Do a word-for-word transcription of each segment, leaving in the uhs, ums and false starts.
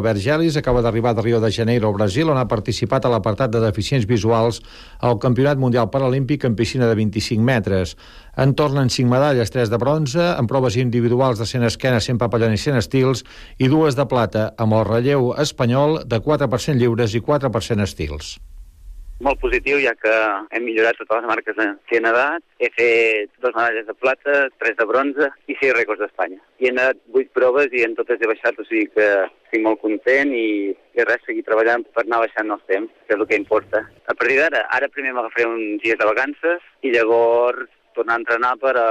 Vergelis acaba d'arribar de Rio de Janeiro, al Brasil, on ha participat a l'apartat de deficients visuals al Campionat Mundial Paralímpic en piscina de vint-i-cinc metres. En tornen cinc medalles, tres de bronze, en proves individuals de cent esquena, cent papallona i cent estils, i dues de plata, amb el relleu espanyol de quatre per cent lliures i quatre per cent estils. Molt positiu, ja que hem millorat totes les marques que he nedat. He fet dues medalles de plata, tres de bronze i sis rècords d'Espanya. I he nedat vuit proves i en totes he baixat, o sigui que estic molt content i, i res, seguir treballant per anar baixant els temps, que és el que importa. A partir d'ara, ara primer m'agafaré uns dies de vacances i llavors tornar a entrenar per, a,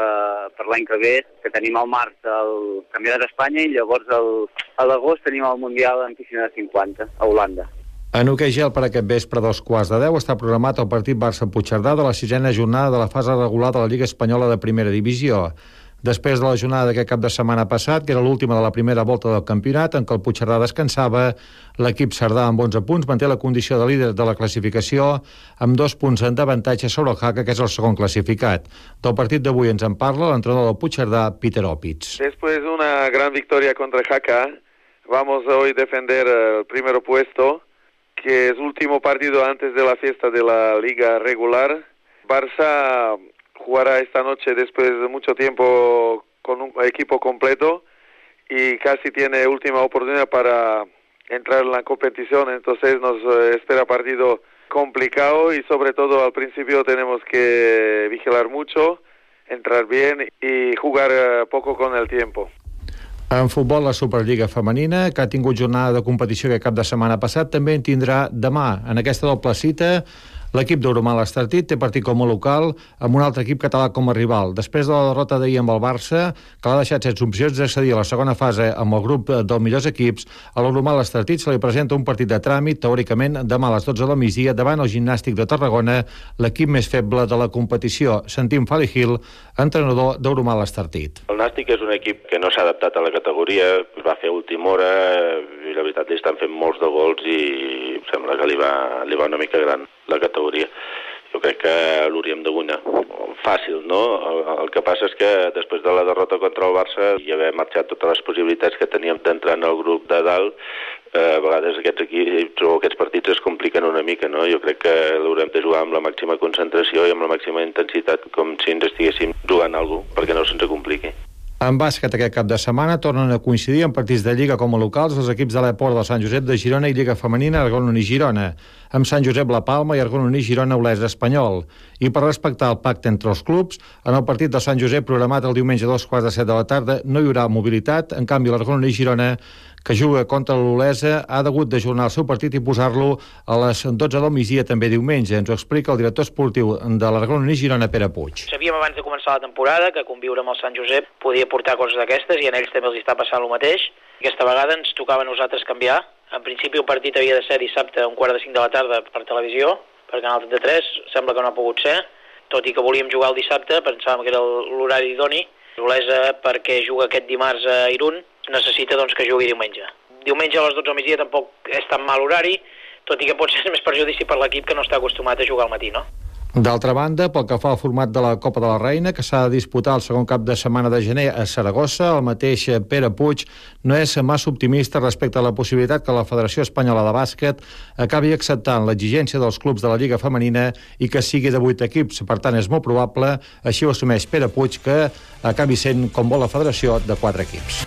per l'any que ve, que tenim al març el Campionat d'Espanya i llavors el, a l'agost tenim el Mundial en piscina de cinquanta a Holanda. En hoquei gel, per aquest vespre a dos quarts de deu està programat el partit Barça-Puigcerdà de la sisena jornada de la fase regular de la Lliga Espanyola de Primera Divisió. Després de la jornada d'aquest cap de setmana passat, que era l'última de la primera volta del campionat, en què el Puigcerdà descansava, l'equip cerdà amb onze punts manté la condició de líder de la classificació amb dos punts d'avantatge sobre el Jaca, que és el segon classificat. Del partit d'avui ens en parla l'entrenador del Puigcerdà, Peter Opitz. Después de una gran victoria contra Jaca, vamos hoy a defender el primer puesto, que es el último partido antes de la fiesta de la liga regular. Barça jugará esta noche después de mucho tiempo con un equipo completo y casi tiene última oportunidad para entrar en la competición, entonces nos espera partido complicado y sobre todo al principio tenemos que vigilar mucho, entrar bien y jugar poco con el tiempo. En futbol, la Superliga femenina, que ha tingut jornada de competició aquest cap de setmana passat, també en tindrà demà. En aquesta doble cita, l'equip d'Euromal Estartit té partit com a local amb un altre equip català com a rival. Després de la derrota d'ahir amb el Barça, que l'ha deixat sense opcions d'accedir a la segona fase amb el grup dels millors equips, a l'Euromal Estartit se li presenta un partit de tràmit, teòricament demà a les dotze del migdia, davant el Gimnàstic de Tarragona, l'equip més feble de la competició. Sentim Fali Gil, entrenador d'Euromal Estartit. El Nàstic és un equip que no s'ha adaptat a la categoria, es va fer a última hora i la veritat li estan fent molts de gols i em sembla que li va, li va una mica gran la categoria. Jo crec que l'hauríem de guanyar. Fàcil, no? El, el que passa és que després de la derrota contra el Barça i haver marxat totes les possibilitats que teníem d'entrar en el grup de dalt, eh, a vegades aquests equips o aquests partits es compliquen una mica, no? Jo crec que l'haurem de jugar amb la màxima concentració i amb la màxima intensitat, com si ens estiguéssim jugant alguna cosa, perquè no se'ns compliqui. En bàsquet aquest cap de setmana tornen a coincidir en partits de Lliga com a locals els equips de l'Eport del Sant Josep de Girona i Lliga Femenina Argon-Uní Girona, amb Sant Josep La Palma i Argon-Uní Girona Olesa Espanyol. I per respectar el pacte entre els clubs, en el partit del Sant Josep programat el diumenge a dos quarts de set de la tarda no hi haurà mobilitat, en canvi l'Argon-Uní Girona, que juga contra l'Olesa, ha degut d'ajornar el seu partit i posar-lo a les dotze del migdia també diumenge. Ens ho explica el director esportiu de l'Argon-Uní Girona, Pere Puig. Sabíem abans de començar la temporada que conviure amb el Sant Josep podia portar coses d'aquestes i a ells també els està passant el mateix. Aquesta vegada ens tocava a nosaltres canviar. En principi el partit havia de ser dissabte a un quart de cinc de la tarda per televisió, per Canal trenta-tres, sembla que no ha pogut ser, tot i que volíem jugar el dissabte, pensàvem que era l'horari idoni. L'Olesa, perquè juga aquest dimarts a Irún, necessita doncs, que jugui diumenge. Diumenge a les dotze del migdia tampoc és tan mal horari, tot i que pot ser més perjudici per l'equip que no està acostumat a jugar al matí, no? D'altra banda, pel que fa al format de la Copa de la Reina, que s'ha de disputar el segon cap de setmana de gener a Saragossa, el mateix Pere Puig no és massa optimista respecte a la possibilitat que la Federació Espanyola de Bàsquet acabi acceptant l'exigència dels clubs de la Lliga Femenina i que sigui de vuit equips. Per tant, és molt probable, així ho assumeix Pere Puig, que acabi sent, com vol la Federació, de quatre equips.